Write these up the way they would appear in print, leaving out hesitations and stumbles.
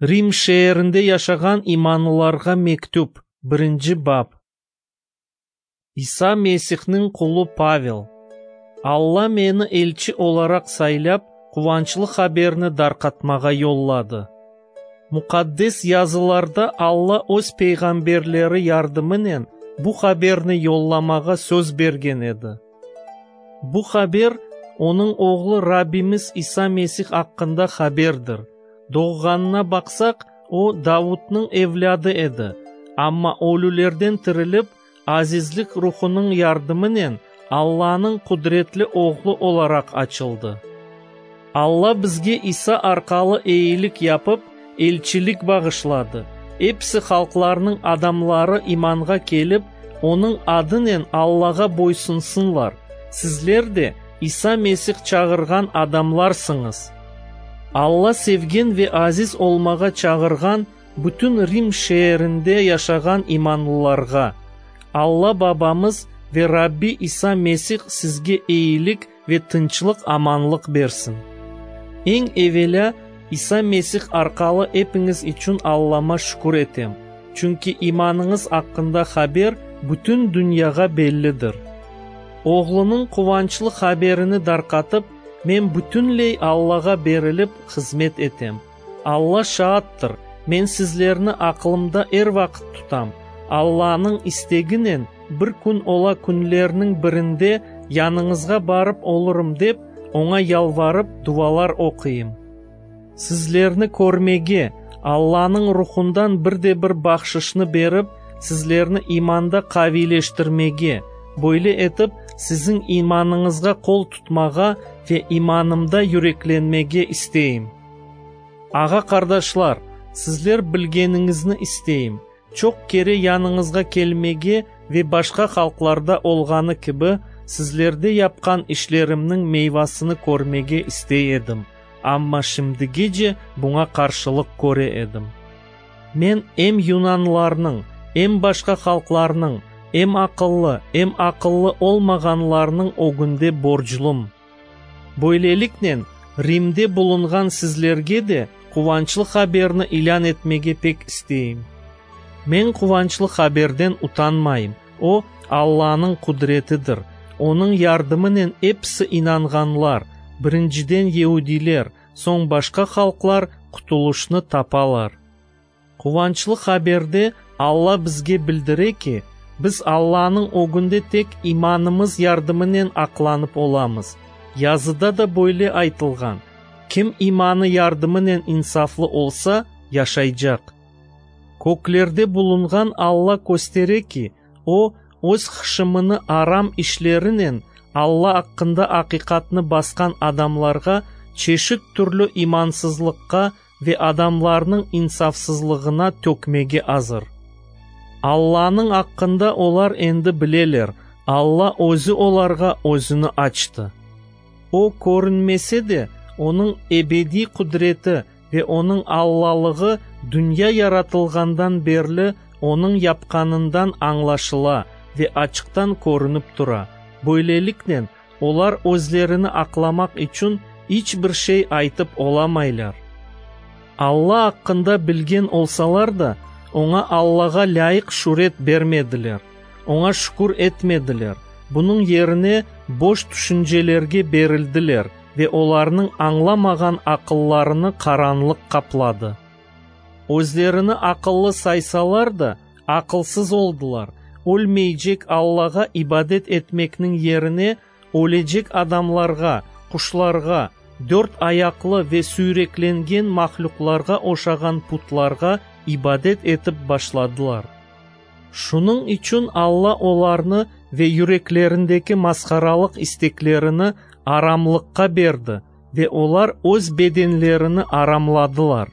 Rim şeerinde yaşağan imanlılarğa mektüp, birinci bap. İsa Mesihniñ qulu Pavel. Alla meni elçi olaraq saylap, quvançlı haberni darqatmağa yolladı. Muqaddes Yazılarda Alla Öz peyğamberleri yardımınen bu haberni yollamağa söz bergen edi. Bu haber, Onıñ Oğlu Rabbimiz İsa Mesih aqqında haberdir. Doğğanına baqsaq, o, Davutnıñ evlâdı edi, amma ölülerden tirilip, azizlik Ruhunıñ yardımınen Allanıñ qudretli Oğlu olaraq açıldı. Alla bizge İsa arqalı eyilik yapıp, elçilik bağışladı, episi halqlarnıñ adamları imanğa kelip, Onıñ adınen Allağa boysunsınlar. Sizler de İsa Mesih çağırğan adamlarsıñız. Alla sevgen ve aziz olmağa çağırğan bütün Rim şeerinde yaşağan imanlılarğa, Alla Babamız ve Rabbi İsa Mesih sizge eyilik ve tınçlıq-amanlıq bersin. Eñ evelâ, İsa Mesih arqalı epiñiz içün Allama şükür etem, çünki imanıñız aqqında haber bütün dünyağa bellidir. Oğlunıñ quvançlı haberini darqatıp, men bütünley Allağa berilip hızmet etem. Alla şaattır, men sizlerni aqlımda er vaqıt tutam, Allanıñ isteginen bir kün ola künlerniñ birinde yanıñızğa barıp olurım dep, Oña yalvarıp dualar oquyım. Sizlerni körmege, Allanıñ Ruhundan bir de bir bahşışnı berip, sizlerni imanda qaviyleştirmege, böyle etip, siziñ imanıñızğa qol tutmağa ve imanımda yüreklenmege isteyim. Ağa-qardaşlar, sizler bilgeniñizni isteyim, çoq kere yanıñızğa kelmege ve başqa halqlarda olğanı kibi, sizlerde yapqan işlerimniñ meyvasını körmege istey edim, amma şimdigece buña qarşılıq köre edim. Men em yunanlarnıñ, em başqa halqlarnıñ, em aqıllı, em aqıllı olmağanlarnıñ ögünde borclum. Böyleliknen, Rimde bulunğan sizlerge de quvançlı haberni ilân etmege pek isteyim. Men quvançlı haberden utanmayım, o, Allanıñ qudretidir, onıñ yardımınen episi inanğanlar, birinciden yeudiyler, soñ başqa halqlar qutulışnı tapalar. Quvançlı haberde Alla bizge bildire ki, biz Allanıñ ögünde tek imanımız yardımınen aqlanıp olamız. Yazıda da böyle aytılğan, Kim imanı yardımınen insaflı olsa, yaşaycaq. Köklerde bulunğan Alla köstere ki, O, Öz hışımını aram işlerinen Alla aqqında aqiqatnı basqan adamlarğa çeşit türlü imansızlıqqa ve adamlarnıñ insafsızlığına tökmege azır. Allanıñ aqqında olar endi bileler, Alla Özü olarğa Özüni açtı. O körünmese de, Onıñ ebediy qudreti ve Onıñ Allalığı dünya yaratılğandan berli Onıñ yapqanından añlaşıla ve açıqtan körünip tura. Böyleliknen, olar özlerini aqlamaq içün iç bir şey aytıp olamaylar. Alla aqqında bilgen olsalar da, Oña Allağa lâyıq şüret bermediler, Oña şükür etmediler, bunıñ yerine boş tüşüncelerge berildiler ve olarnıñ añlamağan aqıllarını qaranlıq qapladı. Özlerini aqıllı saysalar da, aqılsız oldılar, ölmeycek Allağa ibadet etmekniñ yerine, ölecek adamlarğa, quşlarğa, dört ayaqlı ve süyreklengen mahlüqlarğa oşağan putlarğa ibadet etip başladılar. Şunıñ içün Alla olarnı ve yüreklerindeki masharalıq isteklerini aramlıqqa berdi ve olar öz bedenlerini aramladılar.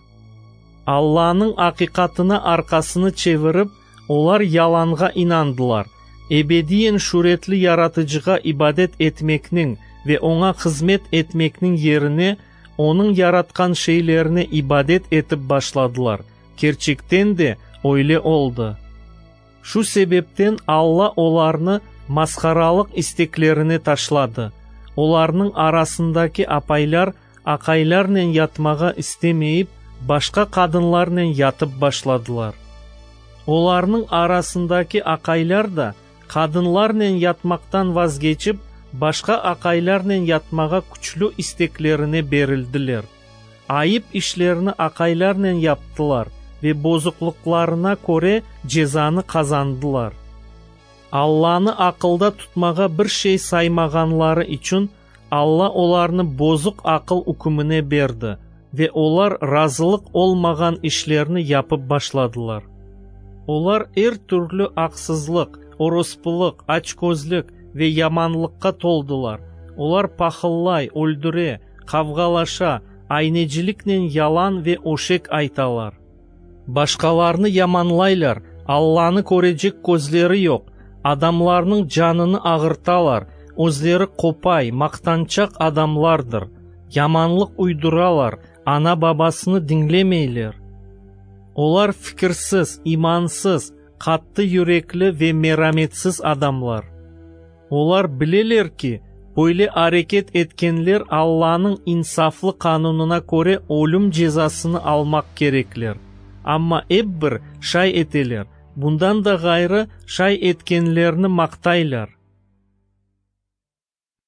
Allanıñ aqiqatına arqasını çevirip, olar yalanğa inandılar, ebediyen şüretli Yaratıcığa ibadet etmekniñ ve Oña hızmet etmekniñ yerine, Onıñ yaratqan şeylerine ibadet etip başladılar. Kerçekten de, öyle oldı. Şu sebepten Alla olarnı masharalıq isteklerine taşladı. Olarnıñ arasındaki apaylar aqaylarnen yatmağa istemeyip, başqa qadınlarnen yatıp başladılar. Olarnıñ arasındaki aqaylar da qadınlarnen yatmaqtan vazgeçip, başqa aqaylarnen yatmağa küçlü isteklerine berildiler. Ayıp işlerni aqaylarnen yaptılar ve bozuqlıqlarına köre cezanı qazandılar. Allanı aqılda tutmağa bir şey saymağanları içün, Alla olarnı bozuq aqıl ükümine berdi, ve olar razılıq olmağan işlerni yapıp başladılar. Olar er türlü aqsızlıq, orospılıq, açközlük ve yamanlıqqa toldılar. Olar pahıllay, öldüre, qavğalaşa, ayneciliknen yalan ve öşek aytalar. Başqalarnı yamanlaylar, Allanı körecek közleri yoq, adamlarnıñ canını ağırtalar, özleri qopay, maqtançaq adamlardır. Yamanlıq uyduralar, ana-babasını diñlemeyler. Olar fikirsiz, imansız, qattı yürekli ve merametsiz adamlar. Olar bileler ki, böyle areket etkenler Allanıñ insaflı qanunına köre ölüm cezasını almaq kerekler. Amma ep bir şay eteler, bundan da ğayrı, şay etkenlerni maqtaylar.